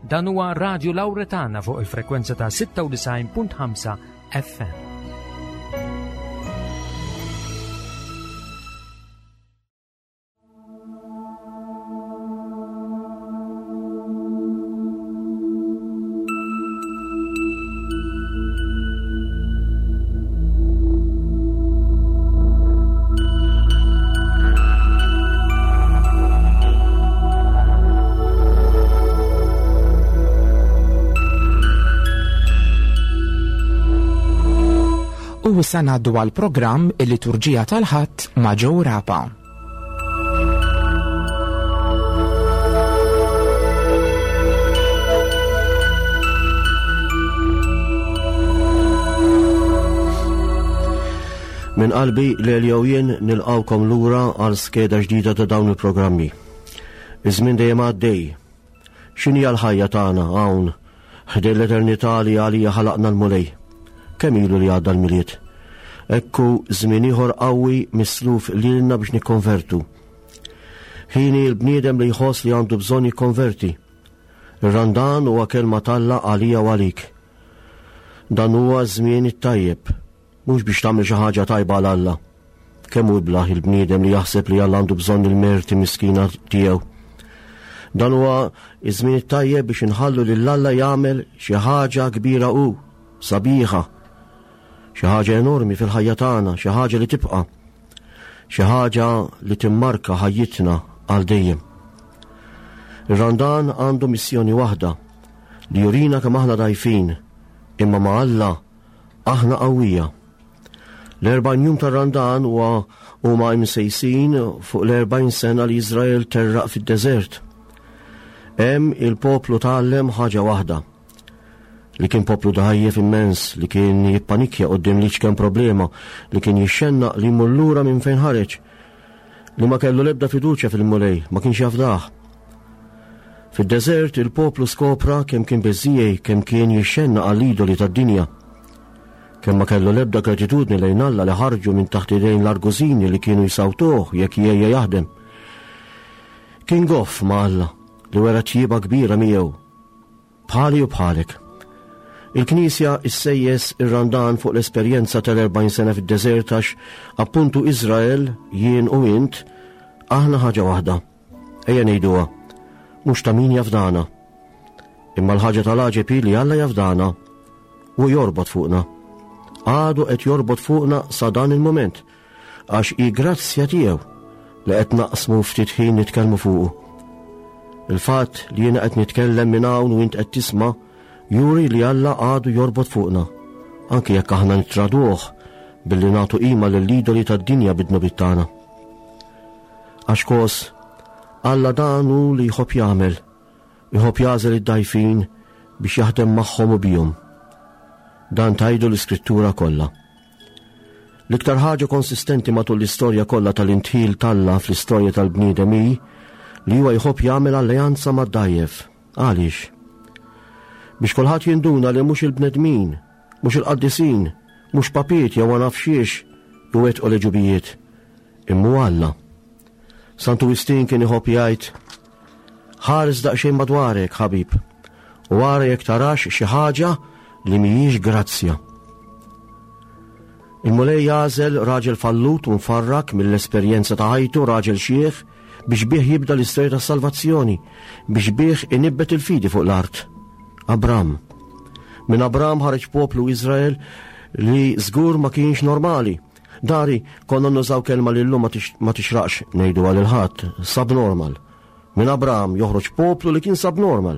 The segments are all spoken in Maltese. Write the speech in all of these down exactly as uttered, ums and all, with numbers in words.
Dan huwa Radio Lauretana fuq il-frekwenza ta' sitta u disgħin punt ħamsa F M. U issa ngħaddu għal programm il-Liturġija tal-Ħadd ma' Joe Rapa. Minn qalbi Lelja u jien nilqgħukom lura għal skeda ġdida ta' dawn il-programmi. Iż-żmien dejjem għaddej. X'inhi l-ħajja tagħna hawn ħdejn l-eternità li għalija ħalaqna l-Mulej? Kemm ilu li għadda l-Milied? Ekku żmien ieħor qawwi misluf lilna biex nikkonvertu. Ħini l-bniedem li jħoss li għandu bżonn jikkonverti. Ir-Randan huwa kelma t'Alla għalija u għalik. Dan huwa żmien it-tajjeb, mhux biex tagħmel xi ħaġa tajba għal Alla. Kemm hu iblah il-bniedem li jaħseb li Alla għandu bżonn il-merti miskina tiegħu. Dan huwa iż-żmien it-tajjeb biex inħallu lil Alla jagħmel xi ħaġa kbira u sabiħa, xi ħaġa enormi fil-ħajja tagħna, xi ħaġa li tibqa', xi ħaġa li timmarka ħajjitna għal dejjem. Ir-Randan għandu missjoni waħda, li jurina kemm aħna dgħajfin, imma ma' Alla aħna qawwija. L-erbgħin jum tar-Randan huwa huma imsejsin fuq l-erbgħin sena li Izrael terraq fid-deżert. Hemm il-poplu tgħallem ħaġa waħda, li kien poplu dgħajjef immens, li kien jippanikja quddiem l-iċken problema, li kien jixxennaq li jmur lura minn fejn ħareġ, li ma kellu lebda fiduċja fil-Mulej, ma kienx jafdah. Fid-deżert il-poplu skopra kemm kien beżżiegħi, kemm kien jixxennaq għall-idoli tad-dinja. Kemm ma kellu lebda gratitudni lejn Alla li ħarġu minn taħt idejn l-argużini li kienu jsawtuh jekk jgħejja jaħdem. Kien goff ma' Alla li wera tjieba kbira miegħu. Bħali u bħalek. Il-Knisja issejjes ir-Randan fuq l-esperjenza tal-erbgħin sena fid-deżert għax appuntu Izrael, jien u int, aħna ħaġa waħda. Ejja ngħiduha, mhux ta' min jafdana. Imma l-ħaġa tal-għaġeb hi li Alla jafdana u jorbot fuqna. Għadu qed jorbot fuqna sa dan il-moment, għax hi grazzja tiegħu li qed naqsmu ftit ħin nitkellmu fuqu. Il-fatt li jiena qed nitkellem minn hawn u int qed tisma' juri li Alla għadu jorbot fuqna, anki jekk aħna nittraduh billi nagħtu qima lill-idoli tad-dinja bid-dnubiet tagħna. Għax kos, Alla dan hu li jħobb jagħmel, jħobb jagħżel id-dgħajfin biex jaħdem magħhom u bihom. Dan tgħidu l-Iskrittura kollha. L-iktar ħaġa konsistenti matul l-istorja kollha tal-indħil t'Alla fl-istorja tal-bniedem hi li huwa jħobb jagħmel alleanza mad-dgħajjef. Għaliex? Biex kulħadd jinduna li mhux il-bnedmin, mhux il-qaddisin, mhux papiet jew ma nafx xiex iwettqu l-għeġubijiet, imma Alla. Santu Wistin kien iħobb jgħid, ħares daqsxejn madwarek, ħabib, u ara jekk tarax xi ħaġa li mhijiex grazzja. Il-Mulej jagħżel raġel fallut u mfarrak mill-esperjenza ta' ħajtu, raġel xieħ, biex bih jibda l-istorja tas-salvazzjoni, biex bih inibbet il-fidi fuq l-art. Abram. Minn Abram ħareġ poplu Izrael li żgur ma kienx normali. Dari konna nużaw kelma li llum ma tix-, ma tixraqx ngħidu għal il-ħadd, subnormal. Minn Abram joħroġ poplu li kien subnormal.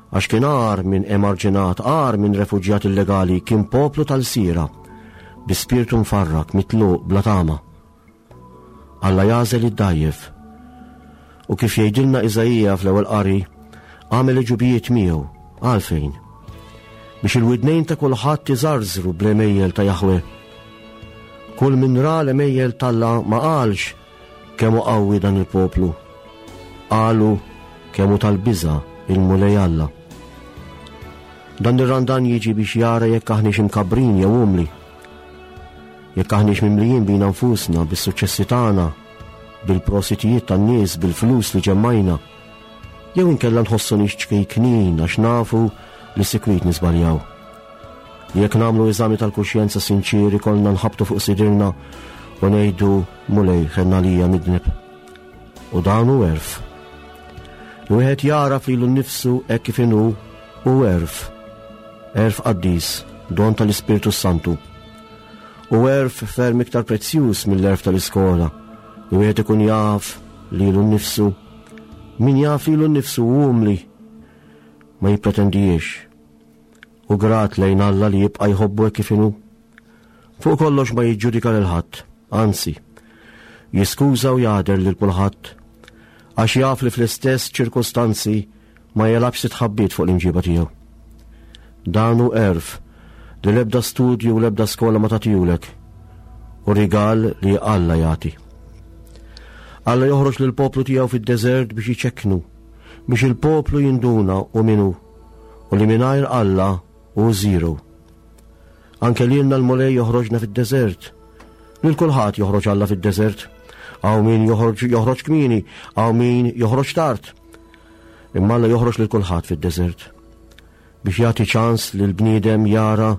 Għax kien agħar minn emarġinat, agħar minn refuġjat illegali, kien poplu tal-sira, bi spiritu mfarrak, mitluq, bla tama. Alla jagħżel id-dgħajjef. U kif jgħidilna Iżaija fl-ewwel qari, għamel għeġubijiet miegħu. Għalfejn? Biex il-widnejn ta' kulħadd iżarżru bl-għemejjel ta' Jahwe. Kull min ra l-għemejjel t'Alla ma qalx kemm hu qawwi dan il-poplu. Qalu kemm hu tal-biża' il-Mulej Alla. Dan ir-Randan jiġi biex jara jekk aħniex imkabrin jew umli. Jekk aħniex mimlijin bina nfusna, bis-suċċessi tagħna, bil-prositijiet tan-nies, bil-flus li ġemmajna, Jew inkella nħossu nies ċkejknin għax nafu li sikwit niżbaljaw. Jekk nagħmlu eżami tal-kuxjenza sinċieri kollna nħabtu fuq sidirna u ngħidu Mulej ħenna lija midneb. U dan hu għerf. Li wieħed jagħraf lilu nnifsu hekk kif inhu hu għerf. Għerf qaddis, don tal-Ispirtu Santu. U għerf ferm iktar prezzjuż mill-għerf tal-iskola. Li wieħed ikun jaf lilu nnifsu. Min jaf lilu nnifsu hu umli, ma jippretendijiex. U grat lejn Alla li jibqa' jħobbu hekk kif inhu. Fuq kollox ma jiġġudika lil ħadd, anzi, jiskuża u jagħder lil kulħadd, għax jaf li fl-istess ċirkustanzi ma jelabx titħabbit fuq l-imġiba tiegħu. Dan hu għerf li l-ebda studju u l-ebda skola ma tagħtihulek, u rigal li Alla jagħti. Alla joħroġ lill-poplu tiegħu fid-deżert biex jiċekknu, biex il-poplu jinduna u min hu, u li mingħajr Alla hu zero. Anke lilna l-Mulej joħroġna fid-deżert. Lil kulħadd joħroġ Alla fid-deżert. Hawn min joħroġ, joħroġ kmieni, hawn min joħroġ tard. Imma Alla joħroġ lil kulħadd fid-deżert biex jagħti ċans lil bniedem jara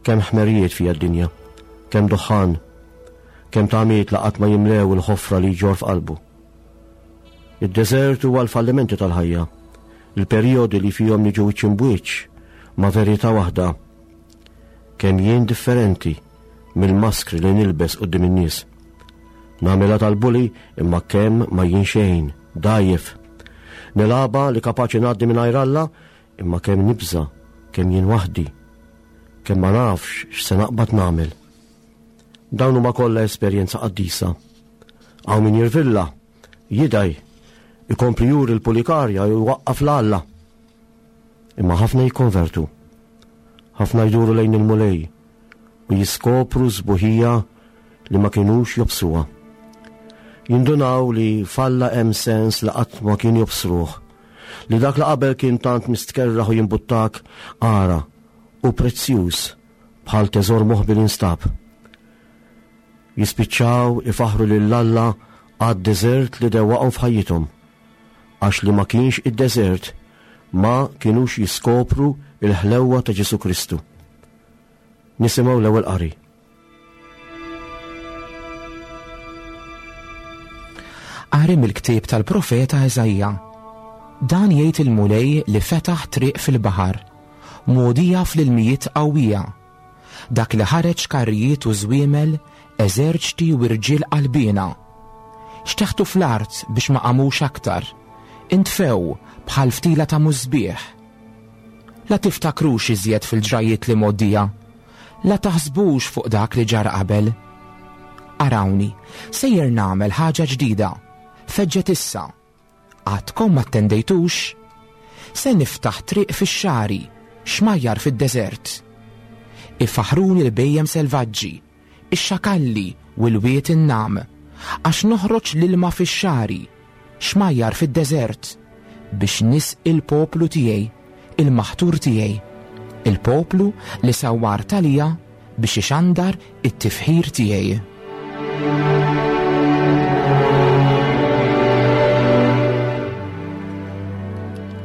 kemm ħmerijiet fija d-dinja, kemm duħħan, kemm tamiet la qatt ma jimlew il-ħofra li jġor f'qalbu. Id-deżert huwa l-fallimenti tal-ħajja, il-perjodi li fihom niġu wiċċ imbwiċċ ma' verità waħda. Kemm jien differenti mill-maskri li nilbes quddiem in-nies. Nagħmilha tal-buli imma kemm ma jien xejn, dajjef. Nilgħabha li kapaċi ngħaddi mingħajr Alla imma kemm nibża, kemm jien waħdi, kemm ma nafx x'se naqbad nagħmel. Dawn huma kollha esperjenza qaddisa. Hawn min jirvilla, jidaj, ikompli juri l-pulikarja u jwaqqaf l-Alla. Imma ħafna jikkonvertu, ħafna jduru lejn il-Mulej u jiskopru sbuħija li ma kinux jobsuha. Jindunaw li falla hemm sens li qatt ma kien jobsruh, li dak li qabel kien tant mistkerraħ u jimbuttak ara u prezzjuż bħal teżor moħbi li nstab. Jispiċċaw ifaħru lil Alla għad-deżert li dewwaqhom f'ħajjithom, għax li ma kienx id-deżert ma kinux jiskopru il-ħlewwa ta' Ġesu Kristu. Nisimgħu l-ewwel qari. Qari mill-ktieb tal-profeta Eżaija. Dan jgħid il-Mulej li fetaħ triq fil-baħar, mogħdija fl-ilmijiet qawwija. Dak li ħareġ karrijiet u żwiemel, eżerċti u irġiel qalbiena. Xteħtu fl-art biex ma qamux aktar, intfew bħal ftila ta' musbieħ. La tiftakrux iżjed fil-ġrajiet li mgħoddija, la taħsbux fuq dak li ġara qabel. Arawni, sejjer nagħmel ħaġa ġdida, feġġet issa. Għadkom ma ttendejtux? Se niftaħ triq fix-xagħri, xmajjar fid-deżert. Ifaħruni l-bhejjem selvaġġi, ix-xakalli u l-wied in-nam, għax noħroġ l-ilma fix-xagħri, xmajjar fid-deżert, biex nisqi l-poplu tiegħi, il-maħtur tiegħi, il-poplu li sawwar talija biex ixandar it-tifħir tiegħi.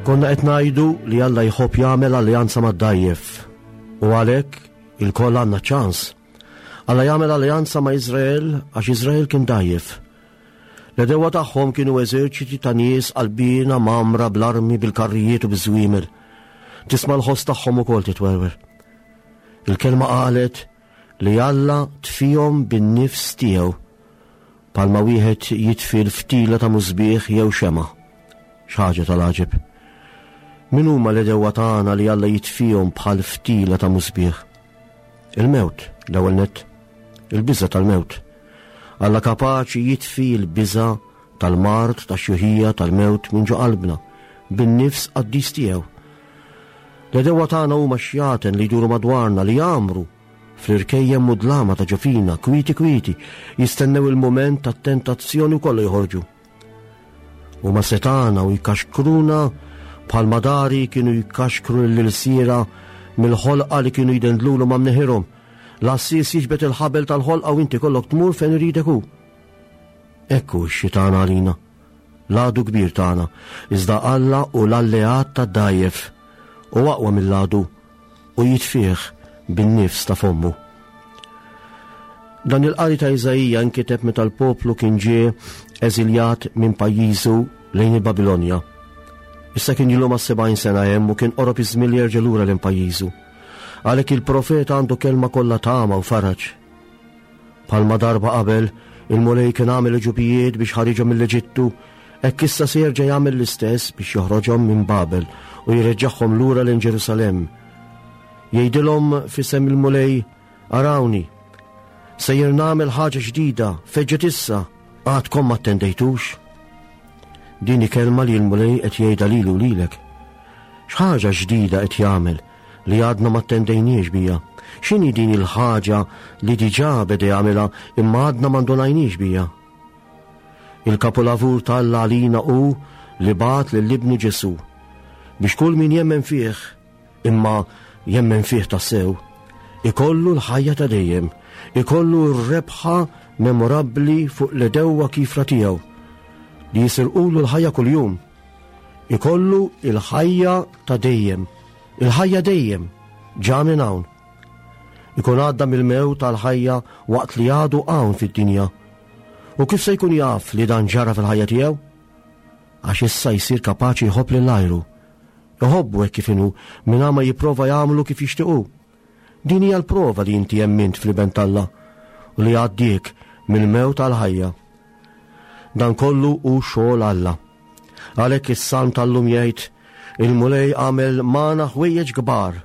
Konna qed ngħidu li Alla jħobb jagħmel alleanza mad-dajjef, u għalhekk ilkoll għandna ċans. Alla jagħmel alleanza ma' Iżrael għax Iżrael kien dajjef. L-għedewwa tagħhom kienu eżerċiti ta' nies qalbiena mgħammra bl-armi, bil-karrijiet u biż-żwiemel. Tisma' l-ħoss tagħhom ukoll titwerwer. Il-kelma qalet li Alla tfihom bin-nifs tiegħu, bħalma wieħed jitfi l-ftila ta' musbieħ jew xema'. Xi ħaġa tal-għaġeb. Min huma l-għedewwa tagħna li Alla jitfihom bħal ftila ta' musbieħ? Il-mewt, l-ewwel nett, il-biża' tal-mewt. Alla kapaċi jitfi l-biża' tal-mard, tax-xjuħija, tal-mewt minn ġo qalbna, bin-nifs qaddis tiegħu. L-għedewwa tagħna huma xjaten li jduru madwarna, li jagħmru fl-irkejjem mudlama ta' ġofina, kwieti kwieti, jistennew il-mument tat-tentazzjoni u kollu joħorġu. Huma setana u jkaxkruna bħal madari kienu jkaxkru l-ilsiera mill-ħolqa li kienu jdendlulu ma' mneħirhom. L-assis jiġbed il-ħabel tal-ħolqa u inti kollok tmur fejn iridek hu. Ekku x-xitan għalina. l-għadu kbir tagħna, iżda Alla hu l-alleat tad-dgħajjef u aqwa mill-għadu u jitfih bin-nifs ta' fommu. Dan il-qari ta' Iżaija nkiteb meta l-poplu kien ġie eżiljat minn pajjiżu lejn il-Babilonja. Issa kien ilu ma' sebgħin sena hemm u kien qorob iż-żmien li jerġa' lura lejn pajjiżu. Għalhekk il-profeta għandu kelma kollha tama u faraġ. Bħalma darba qabel il-Mulej kien għamel ġubijiet biex ħariġhom mill-Eġittu, hekk issa se jerġa' jagħmel l-istess biex joħroġhom minn Babel u jreġġagħhom lura lejn Ġerusalemm. Jgħidilhom f'isem il-Mulej, arawni, sejjer nagħmel ħaġa ġdida, feġġet issa, għadkom ma attendejtux. Din hi kelma li l-Mulej qed jgħidha lilu lilek. X'ħaġa ġdida qed jagħmel li għadna ma attendejniex bija? X'inhi din il-ħaġa li diġà beda jagħmilha imma għadna ma ndunajniex bija? Il-kapulavur t'Alla għalina hu li bagħat lil ibnu Ġesù biex kull min jemmen fih, imma jemmen fih tassew, ikollu l-ħajja ta' dejjem, ikollu r-rebħa memorabbli fuq l-edewwa kifra tiegħu li jisirqulu l-ħajja kuljum. Ikollu l-ħajja ta' dejjem, il-ħajja dejjem, ġa minn hawn. Ikun għadda mill-mewt tal-ħajja waqt li għadu hawn fid-dinja. U kif se jkun jaf li dan ġara fil-ħajja tiegħu? Għax issa jsir kapaċi jħobb lil għajru. Iħobbu hekk kif inhu mingħajr ma jipprova jagħmlu kif jixtiequ. Din hija l-prova li inti emmint fl-Iben t'Alla u li għaddiek mill-mewt tal-ħajja. Dan kollu hu xogħol Alla. Għalhekk is-salm tal-lum jgħid, il-Mulej għamel magħna ħwejjeġ kbar.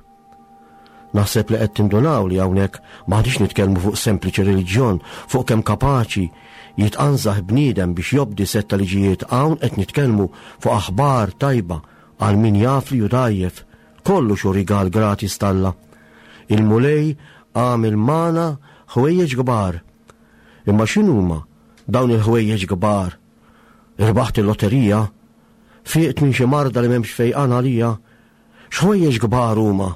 Naħseb li qed tindunaw li hawnhekk m'aħniex nitkellmu fuq sempliċi reliġjon, fuq kemm kapaċi jitqanżaħ bniedem biex jobdi setta liġijiet. Hawn qed nitkellmu fuq aħbar tajba għal min jaf li hu dgħajjef, kollu xu rigal gratis t'Alla. Il-Mulej għamel magħna ħwejjeġ kbar. Imma x'inhuma dawn il-ħwejjeġ kbar? Irbaħt il-lotterija? Fiqt minn xi marda li m'hemmx fejqan għalija? X'ħwejjeġ kbar huma?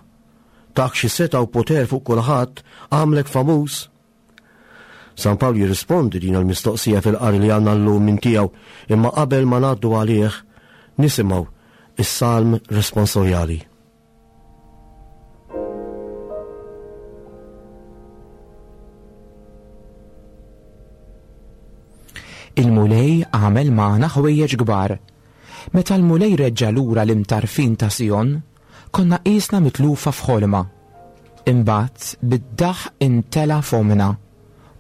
Tak xi seta' u poter fuq kulħadd, għamlek famuż? San Pawl jirrispondi din il-mistoqsija fil-qari li għandna llum minn tiegħu, imma qabel ma ngħaddu għalih nisimgħu is-salm responsorjali. Il-Mulej għamel magħna ħwejjeġ kbar. Meta l-Mulej reġġa' lura l-imtarfin ta' Sion, konna qisna mitlufa f'ħolma. Imbagħad bid-daħ intela' fomna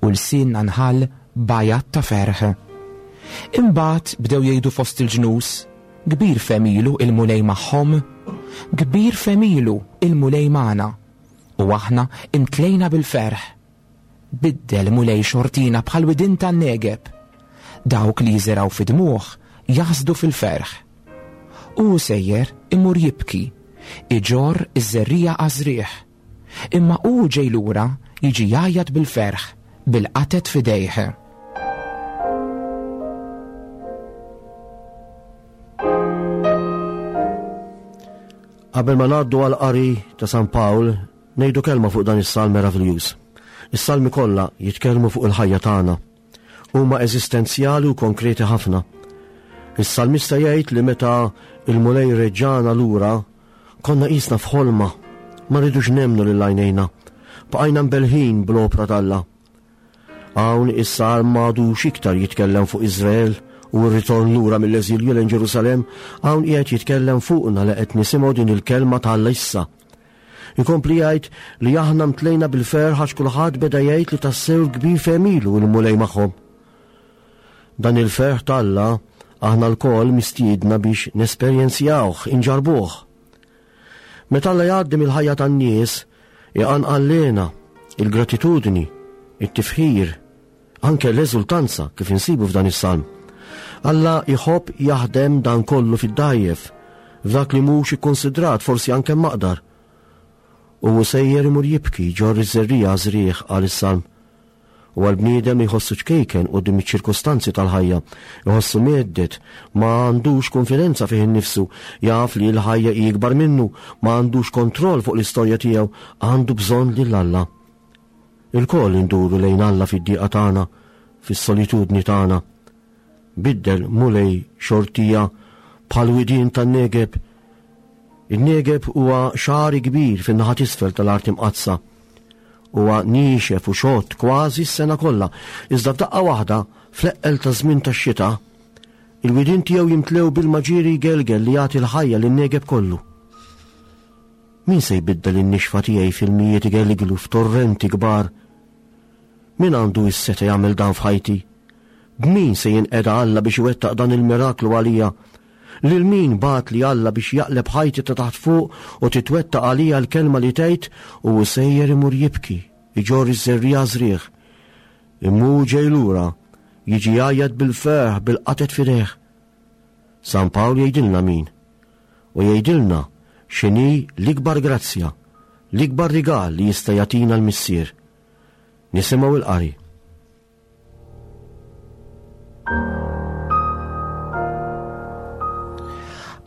u lsienna nħall bajat ta' ferħ. Imbagħad bdew jgħidu fost il-ġnus, kbir femilu il-Mulej magħhom, kbir femilu il-Mulej magħna, u aħna imtlejna bil-ferħ. Biddel Mulej xortina bħal widin tan-Negeb. Dawk li jiżeraw fid-dmugħ jaħsdu fil-ferħ. U sejjer imur jibki, iġor iż-żerrija għażrieħ. Imma hu ġej lura jiġi jgħajjat bil-ferħ, bil-qatet f'idejh. Qabel ma ngħaddu għal qari ta' San Pawl, ngħidu kelma fuq dan is-salm meraviljuż. Is-salmi kollha jitkellmu fuq il-ħajja tagħna. Huma eżistenzjali u konkreti ħafna. Is-salmista jgħid li meta il-Mulej reġġana lura, konna qisna f'ħolma, ma rridux nemmnu lil għajnejna. Bqajna mbelħin bl-opra t'Alla. Hawn is-salm m'għadux iktar jitkellem fuq Iżrael u r-ritorn lura mill-eżilju lejn Ġerusalemm, hawn qiegħed jitkellem fuqna li qed nisimgħu din il-kelma t'Alla issa. Ikompli jgħid li aħna mtlejna bil-ferħ għax kulħadd beda jgħid li tassew kbir femilu l-Mulej magħhom. Dan il-ferħ t'Alla aħna lkoll mistiedna biex nesperjenzjawh, inġarbuh. Meta Alla jgħaddi mill-ħajja tan-nies, iqanqal lejna il-gratitudni, it-tifħir, anke l-eżultanza kif insibu f'dan is-salm. Alla jħobb jaħdem dan kollu fid-dajjef, f'dak li mhux ikkonsidrat, forsi anke maqdar. U sejjer imur jibki ġorr iż-żerrija żrieħ għal is-salm. U għal-bniedem li jħossu ċkejken quddiem iċ-ċirkostanzi tal-ħajja, jħossu mgħedded, ma għandux konfidenza fih innifsu, jaf li l-ħajja hi ikbar minnu, ma għandux kontroll fuq l-istorja tiegħu, għandu bżonn lil Alla. Ilkoll induru lejn Alla fid-dieqa tagħna, fis-solitudni tagħna. Biddel, Mulej, xortija bħal widien tan-Negeb. In-Negeb huwa xagħri kbir fin-naħa t'isfel tal-Art Imqaddsa. Huwa niexef u xott kważi s-sena kollha, iżda f'daqqa waħda fl-eqqel ta' żmien tax-xita, il-widien tiegħu jimtlew bil-maġiri gelgel li jagħti l-ħajja lin-Negeb kollu. Min se jbiddel in-nixfa tiegħi fil-mijiet igelglu f'torrenti kbar? Min għandu s-seta jagħmel dan f'ħajti? B'min se jinqeda Alla biex iwettaq dan il-miraklu għalija? Lil min bagħat li Alla biex jaqleb ħajti ta' taħt fuq u titwettaq għalija l-kelma li tgħid u sejjer imur jibki, iġorr iż-żerriegħa żrieħ. Imma hu ġej lura, jiġi jgħajjat bil-ferħ bil-qatet f'idejh. San Pawl jgħidilna min, u jgħidilna x'inhi l-ikbar grazzja, l-ikbar rigal li jista' jagħtina l-Missier. Nisimgħu il-qari.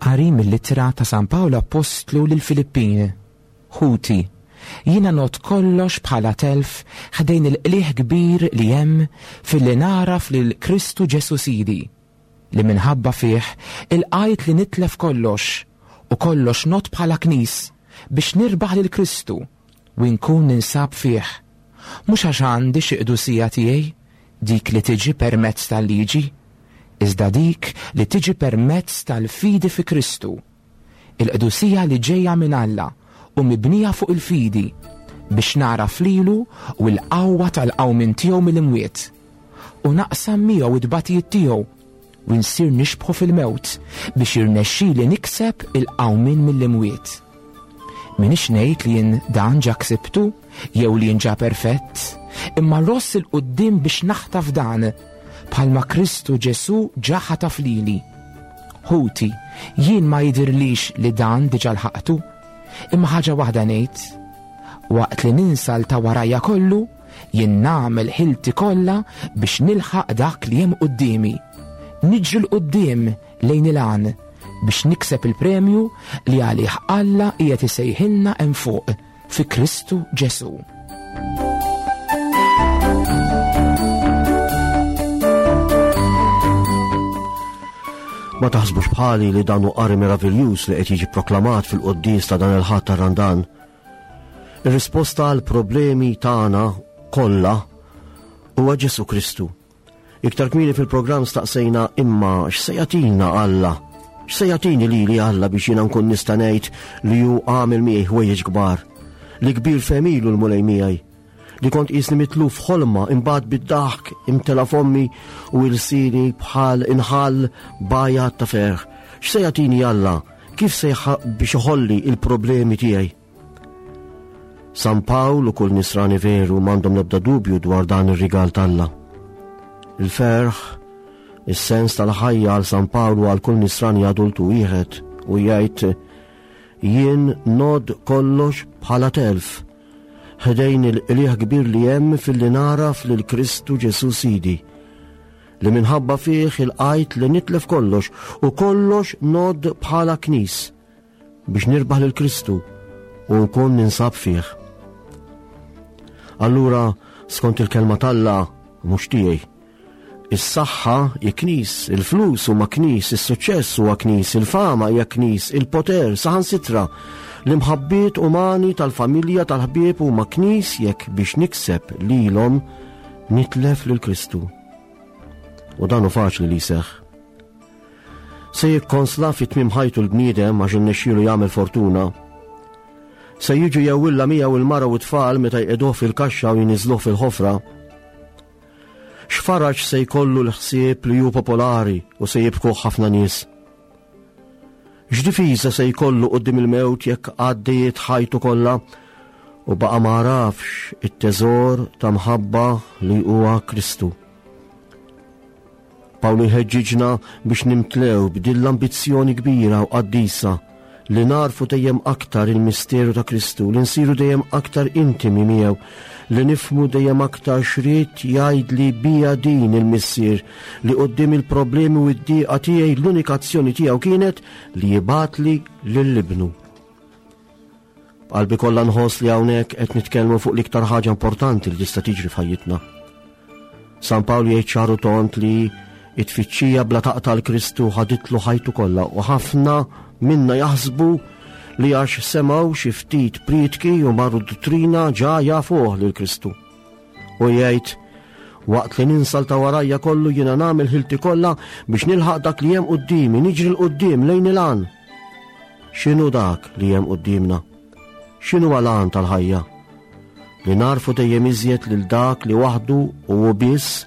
Qari mill-ittra ta' San Pawl Appostlu lill-Filippin. Ħuti, jiena not kollox bħala telf ħdejn il-qliħ kbir li hemm filli nagħraf lil Kristu Ġesu Sidi, li minħabba fih ilqajt li nitlef kollox u kollox not bħala knis biex nirbaħ lil Kristu u nkun ninsab fih. Mhux għax għandi xi qdusija tiegħi, dik li tiġi permezz tal-liġi, iżda dik li tiġi permezz tal-fidi fi Kristu, il-qdusija li ġejja minn Alla u mibnija fuq il-fidi, biex nagħraf lilu u l-qawwa tal-qawmien tiegħu mill-imwiet, u naqsam miegħu id-batijiet tiegħu u nsir nixbħu fil-mewt biex jirnexxili nikseb il-qawmien mill-imwiet. Minix ngħid li jien dan ġa ksibtu jew li jien ġa perfett, imma ross il-quddiem biex naħtaf dan bħalma Kristu Ġesu ġa ħataf lili. Ħuti, jien ma jidirlix li dan diġà lħaqtu, imma ħaġa waħda ngħid, waqt li ninsal ta' warajja kollu, jien nagħmel ħilti kollha biex nilħaq dak li hemm quddiemi. Niġri 'l quddiem lejn il-għan biex nikseb il-premju li għalih Alla qiegħed isejħilna hemm fuq fi Kristu Ġesu. Ma taħsbux bħali li dan hu qari meraviljuż li qed jiġi proklamat fil-quddies ta' dan il-Ħadd tar-Randan. Ir-risposta għal problemi tagħna kollha huwa Ġesu Kristu. Iktar kmieni fil-programm staqsejna imma x'se jagħtina Alla? X'se jagħtini lili Alla biex jiena nkun nista' ngħid li hu għamel miegħi ħwejjeġ kbar, li kbir femilu l-Mulej miegħi, li kont qisni mitluf ħolma imbagħad bid-daħk imtela fommi u ilsini bħal inħall bajat ta' ferħ. X'se jagħtini Alla? Kif se biex iħolli il-problemi tiegħi? San Pawl u kull nisrani veru m'għandhom l-ebda dubju dwar dan ir-rigal t'Alla. Il-ferħ, is-sens tal-ħajja għal San Pawl u għal kull nisrani adultu wieħed u jgħid jien nod kollox bħala telf ħdejn il-qliħ kbir li hemm filli nagħraf lil Kristu Ġesu Sidi, li minħabba fih il-qajt li nitlef kollox u kollox nod bħala knis biex nirbaħ lil Kristu u nkun ninsab fih. Allura, skont il-kelma t'Alla, mhux tiegħi, is-saħħa hi knis, il-flus huma knis, is-suċċess huwa knis, il-fama hija knis, il-poter, saħansitra, l-imħabbiet umani tal-familja tal-ħbieb huma knis jekk biex nikseb lilhom nitlef lil Kristu. U dan hu faċli li jseħħ. Se jikkonsla fi tmiem ħajtu l-bniedem għax innexxielu jagħmel fortuna. Se jiġu jewwilla miegħu il-mara u t-tfal meta jqegħduh fil-kaxxa u jniżluh fil-ħofra. X'faraġ se jkollu l-ħsieb li hu popolari u se jibkuh ħafna nies. X'difiża se jkollu quddiem il-mewt jekk għaddiet ħajtu kollha u baqa' ma għarafx it-teżor ta' mħabba li huwa Kristu. Pawlu jħeġġiġna biex nimtlew b'din l-ambizzjoni kbira u qaddisa li narfu dejjem aktar il-misteru ta' Kristu, li nsiru dejjem aktar intimi miegħu, li nifhmu dejjem aktar x'ried jgħidli bija din il-Missier, li quddiem il-problemi u d-dieqa tiegħi l-unika azzjoni tiegħu kienet li jibgħatli lil ibnu. B'qalbi kollha nħoss li hawnhekk qed nitkellmu fuq l-iktar ħaġa importanti li tista' tiġri f'ħajjitna. San Pawl jgħid ċaru tont li It-tfittxija bla taqta' l Kristu ħaditlu ħajtu kollha u ħafna minna jaħsbu li għax semgħu xi ftit prietki u marru duttrina ġa jafuh lil Kristu. U jgħid, waqt li ninsa ta' warajja kollu jiena nagħmel ħilti kollha biex nilħaq dak li hemm quddiemi, niġri 'l quddiem lejn il-għan. X'inhu dak li hemm quddiemna? X'inhu l-għan tal-ħajja? Li narfu dejjem iżjed lil dak li waħdu u hu biss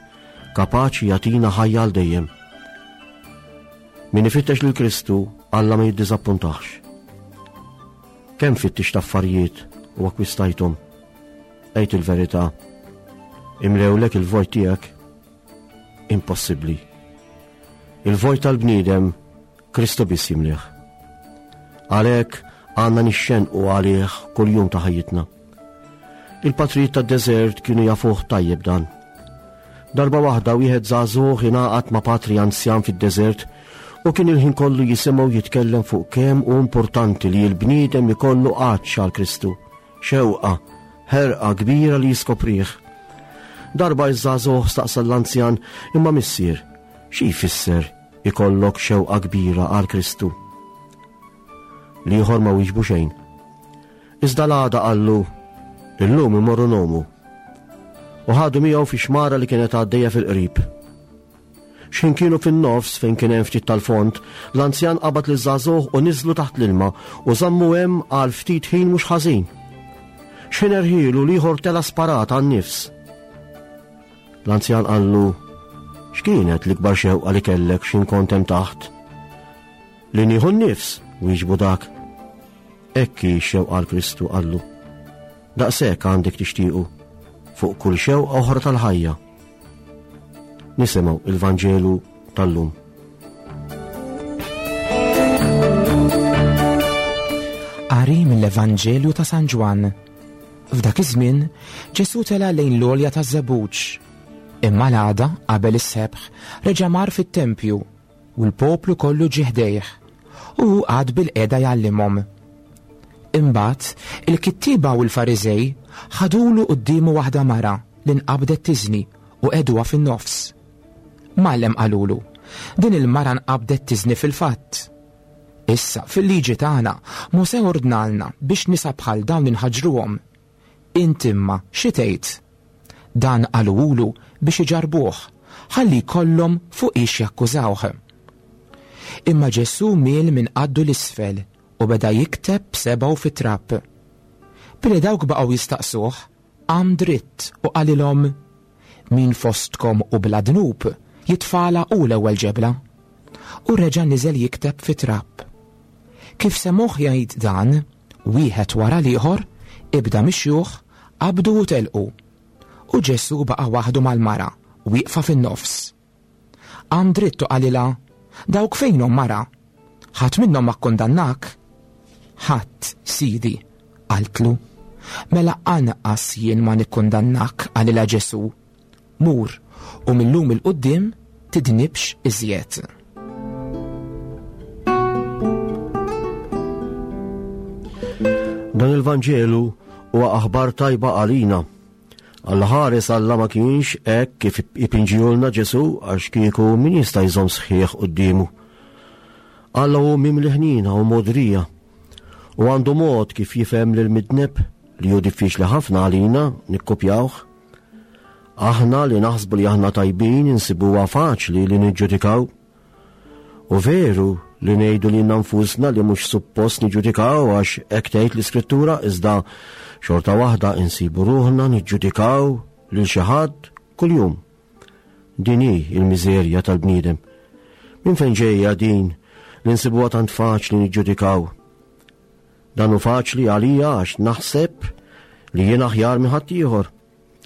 kapaċi jagħtina ħajja għal dejjem. Min ifittex lil Kristu, Alla ma jiddiżappuntax. Kemm fittixt affarijiet u akkwistajthom? Għid il-verità. Imlewlek il-vojt tiegħek? Impossibbli. Il-vojt tal-bniedem Kristu biss jimlih. Għalhekk għandna nixxenqu għalih kull jum ta' ħajjitna. Il-patrijiet tad-deżert kienu jafuh tajjeb dan. Darba waħda wieħed żagħżugħ ingħaqad ma' patri anzjan fid-deżert u kien il-ħin kollu jisimgħu jitkellem fuq kemm hu importanti li l-bniedem ikollu għatx għal Kristu, xewqa, ħerqa kbira li jiskoprih. Darba iż-żagħżugħ staqsa l-anzjan, imma missier, xi jfisser ikollok xewqa kbira għal Kristu? L-ieħor ma wieġbu xejn. Iżda l-għada qallu, illum imorru ngħumu. U ħadu miegħu fi xmara li kienet għaddejja fil-qrib. X'ħin kienu fin-nofs fejn kien hemm ftit tal-fond, l-anzjan qabad liż-żagħżugħ u niżlu taħt l-ilma u żammu hemm għal ftit ħin mhux ħażin. X'ħin erħilu l-ieħor tela sparat għan-nifs. L-anzjan qallu, x'kienet l-ikbar xewqa li kellek x'ħin kont hemm taħt? Li nieħu n-nifs, wieġbu dak. Hekk hi x-xewqa għal Kristu, qallu. Daqshekk għandek tixtiequ fuq kull xewqa oħra tal-ħajja. Nisimgħu il-Vanġelu tal-lum. Qari mill-Evanġelju ta' San Ġwann. F'dak iż-żmien, Ġesù tela' lejn l-għolja taż-Żebbuġ. Imma l-għada, qabel is-sebħ, reġa' mar fit-tempju u l-poplu kollu ġie ħdejh, u hu qagħad bil-qiegħda jgħallimhom. Imbagħad, il-kittieba u l-Fariżej ħadulu quddiemu waħda mara li nqabdet tiżni u qegħduha fin-nofs. Mgħallem, qalulu, din il-mara nqabdet tiżni fil-fatt. Issa, fil-liġi tagħna, Mosè ordnalna biex nisa bħal dawn inħaġruhom. Int imma xi tgħid? Dan qalulu biex iġarbuh, ħalli jkollhom fuq ix jakkużawh. Imma Ġesù miel minn qaddu l-isfel u beda jikteb b'sebgħu fit-trab. Billi dawk baqgħu jistaqsuh, qam dritt u qalilhom, min fostkom u bla dnub jitfala hu l-ewwel ġebla. U reġa' niżel jikteb fit-trab. Kif semgħuh jgħid dan, wieħed wara l-ieħor, ibda mix-xjuħ, qabdu u telqu. U Ġesù baqa' waħdu mal-mara, wieqfa fin-nofs. Qam dritt u qalilha, dawk fejnhom mara? Ħadd minnhom ma kkundannak? Ħadd, Sidi, qaltlu. Mela anqas jien ma nikkundannak, qalilha Ġesù. Mur, u millum il-quddiem tidnibx iżjed. Dan il-Vanġelu huwa aħbar tajba għalina. Alla ħares Alla ma kienx hekk kif ipinġijulna Ġesù, għax kieku min jista' jżomm sħiħ quddiemu. Alla hu mimli ħnina u modrija, u għandu mod kif jifhem lil midneb li hu diffiċli ħafna għalina nikkopjawh. Aħna li naħsbu li aħna tajbin insibuha faċli li niġġudikaw. U veru li ngħidu lilna nfusna li mhux suppost niġġudikaw għax hekk tgħid l-Iskrittura, iżda xorta waħda insibu ruħna niġġudikaw lil xi ħadd kuljum. Din hi l-miżerja tal-bniedem. Minn fejn ġejja din li nsibuha tant faċli niġġudikaw? Dan hu faċli għalija għax naħseb li jien aħjar minn ħaddieħor.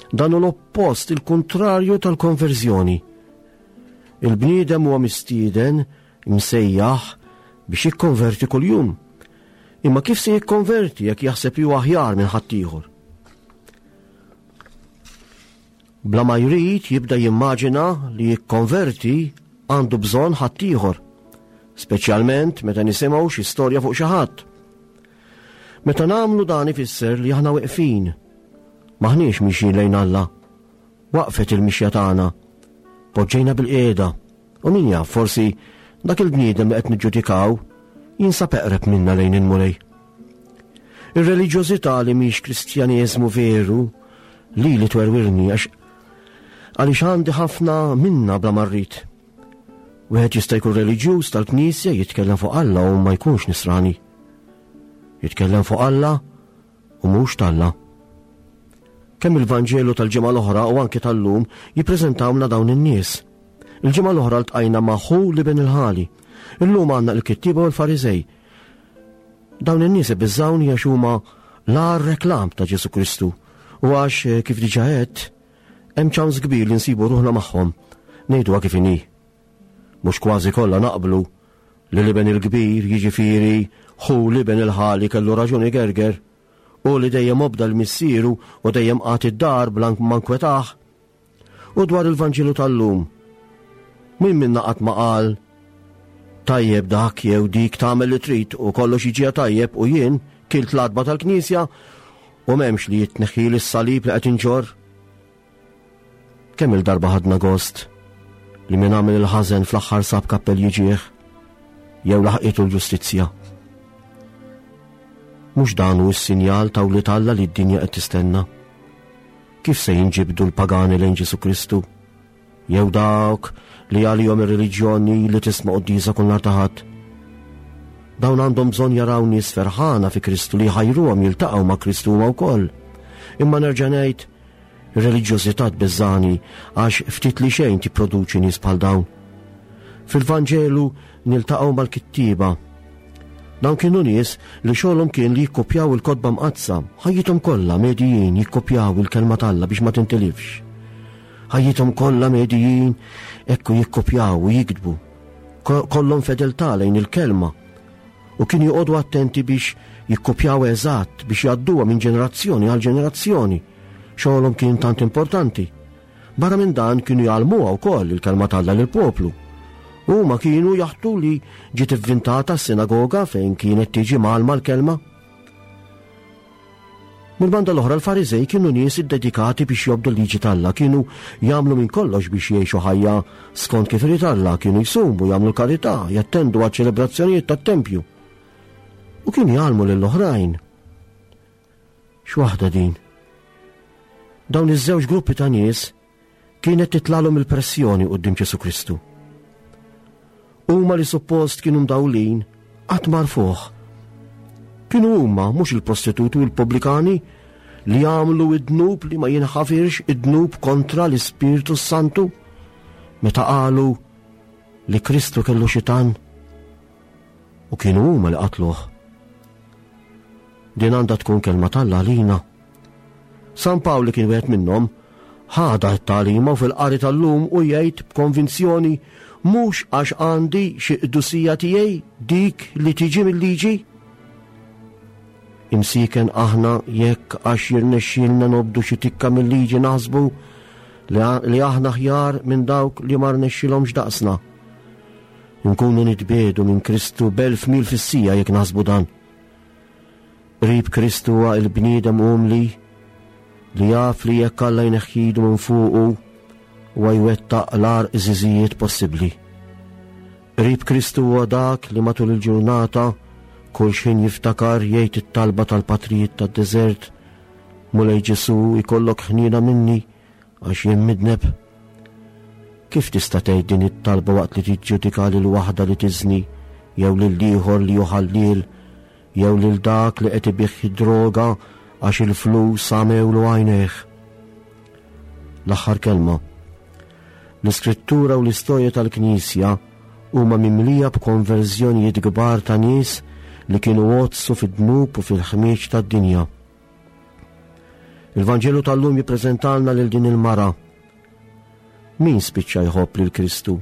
Dan hu l-oppost, il-kontrarju tal-konverżjoni. Il-bniedem huwa mistieden imsejjaħ biex jikkonverti kuljum. Imma kif se jikkonverti jekk jaħseb li huwa aħjar minn ħaddieħor? Bla ma jrid jibda jimmaġina li jikkonverti għandu bżonn ħaddieħor, speċjalment meta nisimgħu xi storja fuq xi ħadd. Meta nagħmlu dan ifisser li aħna weqfin, maħniex mixjin lejn Alla. Waqfet il-mixja tagħna, poġġejna bil-qiegħda. U min jaf, forsi dak il-bniedem li qed niġġudikaw jinsab eqreb minna lejn il-Mulej. Ir-reliġjożità li mhix Kristjaneżmu veru li li twerwirni għax għaliex għandi ħafna minna bla marrit. Wieħed jista' jkun reliġjuż tal-Knisja, jitkellem fuq Alla u ma jkunx nisrani. Jitkellem fuq Alla u mhux t'Alla. Kemm il-Vanġelu tal-ġimgħa l-oħra u anke tal-lum jippreżentawna dawn in-nies. Il-ġimgħa l-oħra ltqajna ma' ħu l-iben il-ħali. Illum għandna l-kittieba u l-Fariżej. Dawn in-nies ibiżżawni għax huma l-agħar reklam ta' Ġesù Kristu u għax, kif diġà għedt, hemm ċans kbir li nsibu ruħna magħhom. Ngħiduha kif inhi. Mhux kważi kollha naqblu li l-iben il-kbir, jiġifieri ħu l-iben il-ħali, kellu raġuni gerger u li dejjem obda l-missieru u dejjem qagħad id-dar bla ma nkwetah. U dwar il-Vanġelu tal-lum, min minna qatt ma qal tajjeb dak jew dik tagħmel li trid u kollox jiġiha tajjeb u jien kilt l-għatba tal-Knisja u m'hemmx li jitneħħi s-salib li qed inġorr? Kemm il-darba ħadna gost li min għamel il-ħażen fl-aħħar sab kappell jiġih jew laħqitu l-ġustizzja. Mhux dan hu s-sinjal ta' wlied Alla li d-dinja qed tistenna. Kif se jinġibdu l-pagani lejn Ġesù Kristu? Jew dawk li għalihom ir-reliġjoni li tisma' quddiesa kull nhar ta' Ħadd? Dawn għandhom bżonn jaraw nies ferħana fi Kristu li jħajruhom jiltaqgħu ma' Kristu huma wkoll. Imma nerġa' ngħid, ir-reliġjożità tbeżżani għax ftit li xejn tipproduċi nies bħal dawn. Fil-Vanġelu niltaqgħu mal-kittieba. Dawn kienu nies li xogħolhom kien li jikkopjaw il-kotba mqaddsa, ħajjithom kollha medijin jikkopjaw il-kelma t'Alla biex ma tintilifx. Ħajjithom kollha medijin ekku jikkopjaw u jiktbu. Kollhom fedeltà lejn il-kelma. U kienu joqogħdu attenti biex jikkopjaw eżatt biex jgħadduha minn ġenerazzjoni għal ġenerazzjoni. Xogħolhom kien tant importanti. Barra minn dan kienu jgħallmuha wkoll il-kelma t'Alla lill-poplu. Huma kienu jaħtu li ġiet ivvintata s-sinagoga fejn kienet tiġi mgħallma l-kelma. Mill-banda l-oħra l-Fariżej kienu nies iddedikati biex jobdu l-liġi t'Alla, kienu jagħmlu minn kollox biex jgħixu ħajja skont kif irid Alla, kienu jsumu, jagħmlu l-karità, jattendu għal ċelebrazzjonijiet tat-tempju. U kienu jgħallmu lill-oħrajn. X'waħda din? Dawn iż-żewġ gruppi ta' nies kienet titlalhom il-pressjoni quddiem Ġesù Kristu. Huma li suppost kienu mdawlin qatt marfuh. Kienu huma, mhux il-prostituti u l-pubblikani, li jagħmlu id-dnub li ma jinħafirx, id-dnub kontra l-Ispirtu Santu, meta qalu li Kristu kellu xitan, u kienu huma li qatluh. Din għandha tkun kelma t'Alla għalina. San Pawl li kien wieħed minnhom ħada t-tagħlima u fil-qari tal-lum u jgħid b'konvinzjoni, mhux għax għandi xi qdusija tiegħi dik li tiġi mill-liġi. Imsiken aħna jekk għax jirnexxielna nobdu xi tikka mill-liġi naħsbu li aħna ħjar minn dawk li ma rnexxilhomx daqsna. Nkunu nitbiedu minn Kristu b'elf mil fis-sija jekk naħsbu dan. Qrib Kristu huwa l-bniedem umli li jaf li jekk Alla jneħħidu minn fuqu huwa jwettaq l-agħar iżiżijiet possibbli. Qrib Kristu huwa dak li matul il-ġurnata kull xejn jiftakar jgħid it-talba tal-patrijiet tad-deżert, Mulej Ġesu ikollok ħniena minni għax jien midneb. Kif tista' tgħid din it-talba waqt li tiġġudika lil waħda li tiżni, jew lil ieħor li juħallil, jew lil dak li qed ibih id-droga għax il-flus għamewlu għajnejh? L-aħħar kelma. L-Iskrittura u l-istorja tal-Knisja huma mimlija b'konverżjonijiet kbar ta' nies li kienu għoddsu fid-dnub u fil-ħmieġ tad-dinja. Il-Vanġelu tal-lum jippreżentalna lil din il-mara. Min spiċċa jħobb lil Kristu?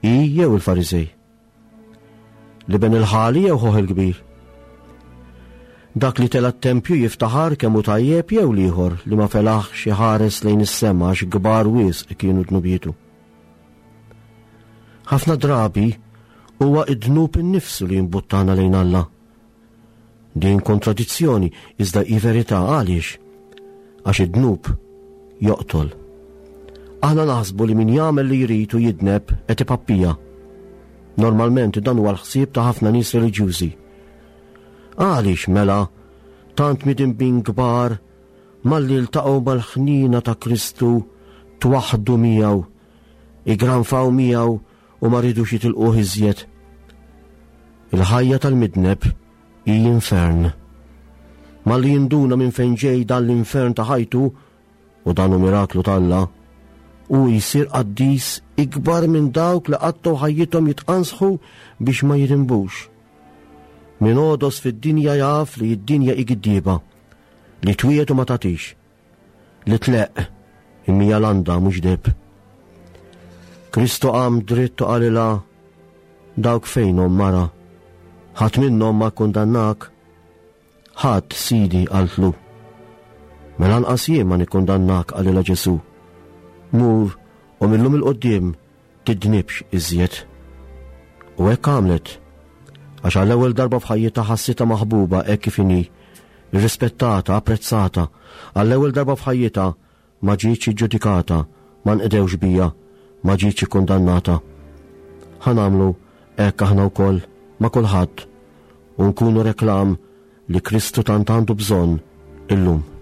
Hi jew il-Fariżej? L-iben il-ħali jew ħuh il-kbir? Dak li tela' t-tempju jiftaħar kemm hu tajjeb jew l-ieħor li ma felaħx iħares lejn is-sema għax kbar wisq kienu dnubietu? Ħafna drabi huwa id-dnub innifsu li jimbuttana lejn Alla. Din kontradizzjoni iżda hi verità. Għaliex? Għax id-dnub joqtol. Aħna naħsbu li min jagħmel li jrid u jidneb qed ipappija. Normalment dan huwa l-ħsieb ta' ħafna nies reliġjużi. Għaliex mela tant midinbin kbar malli ltaqgħu mal-ħnina ta' Kristu twaħdu miegħu, igranfaw miegħu u ma ridux jitilquh iżjed. Il-ħajja tal-midneb hi infern. Malli jinduna minn fejn ġej dan l-infern ta' ħajtu, u dan hu miraklu t'Alla, u jsir qaddis ikbar minn dawk li qattgħu ħajjithom jitqansħu biex ma jidinbux. Min għodos fid-dinja jaf li d-dinja hi giddieba, li twiegħed u ma tagħtix, li tleqq imma hija landa mhux deheb. Kristu qam dritt u qalilha, dawk fejnhom mara, ħadd minnhom ma kkundannak. Ħadd, Sidi, qaltlu. Mela lanqas jien ma nikkundannak, qalilha Ġesu. Mur u mil-lum 'il quddiem tidnibx iżjed. U hekk għamlet, għax għall-ewwel darba f'ħajjitha ħassitha maħbuba hekk kif inhi, irrispettata, apprezzata. Għall-ewwel darba f'ħajjitha ma ġietx iġġudikata, ma nqdewx bija, ma ġietx ikkundannata. Ħa nagħmlu hekk aħna wkoll ma' kulħadd u nkunu reklam li Kristu tant għandu bżonn illum.